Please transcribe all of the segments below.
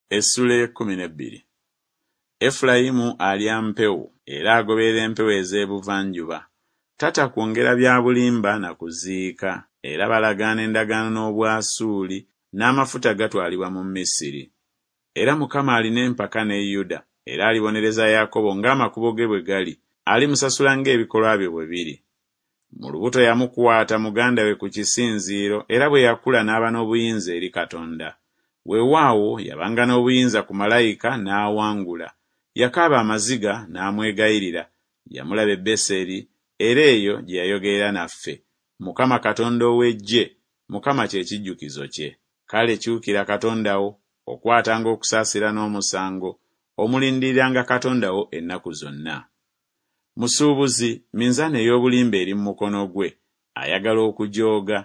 Essuula ey'ekkumi n'ebbiri. Efulayimu alya mpewo, era agoberera empewo ez'ebuvanjuba. Tata kwongera bya bulimba na kuziika, era balagaana endagaano n'Obwasuuli, n'amafuta gatwalibwa mu Misiri. Era Mukama alina empaka ne Yuda, era alibonereza Yakobo ng'amakubo ge bwe gali, alimusasula ng'ebikolwa bye bwe biri. Mu lubuto yamukwata muganda we ku kisinziiro, era bwe yakula n'aba n'obuyinza eri Katonda. Weewaawo, yabanga n'obuyinza ku malayika n'awangula. Yakaaba amaziga n'amwegayirira, yamulaba e Beseri, era eyo gye yayogerera naffe, Mukama Katonda ow'eggye, Mukama kye kijjukizo kye. Kale kyukira Katonda wo, okwatanga okusaasira n'omusango, omulindiriranga Katonda wo ennaku zonna. Musuubuzi, minzaani ey'obulimba eri mu mukono gwe, ayagala okujooga.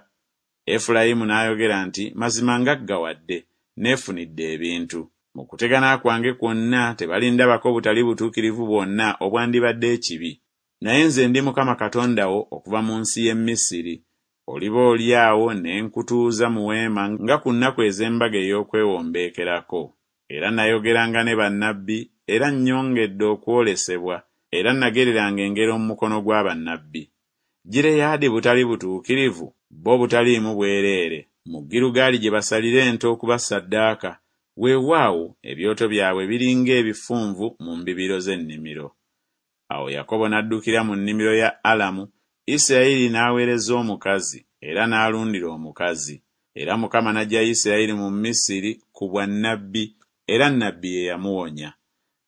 Efulayimu n'ayogera nti Mazima ngaggawadde, neefunidde ebintu. Mu kutegana kwange kwonna tebalindabako butali butuukirivu bwonna obwandibadde ekibi. Naye nze ndi Mukama Katonda wo okuva mu nsi y'e Misiri, oliba oli awo ne nkutuuza mu weema nga ku nnaku ez'embaga ey'okwewombeekerako. Era nayogeranga ne bannabbi, era nnyongedde okwolesebwa, era nagereranga engero mu mukono gwa bannabbi. Gireyaadi butali butuukirivu, bo butaliimu bwereere, mu Girugaali gye basalira ente okuba ssaddaaka, weewaawo, ebyoto byabwe biri ng'ebifunvu mu mbibiro z'ennimiro. Awo Yakobo n'addukira mu nnimiro ya Alamu, Isirayiri n'aweereza omukazi, era n'alundira omukazi. Era Mukama n'aggya Isirayiri mu Misiri ku bwa nnabbi, era nnabbi ye yamuwonya.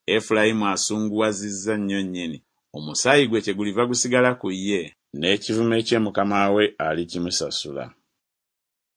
Efulayimu asunguwazizza nnyo nnyini, omusaayi gwe kyeguliva gusigala ku ye. N'ekivume kye mukama we alikimusasula.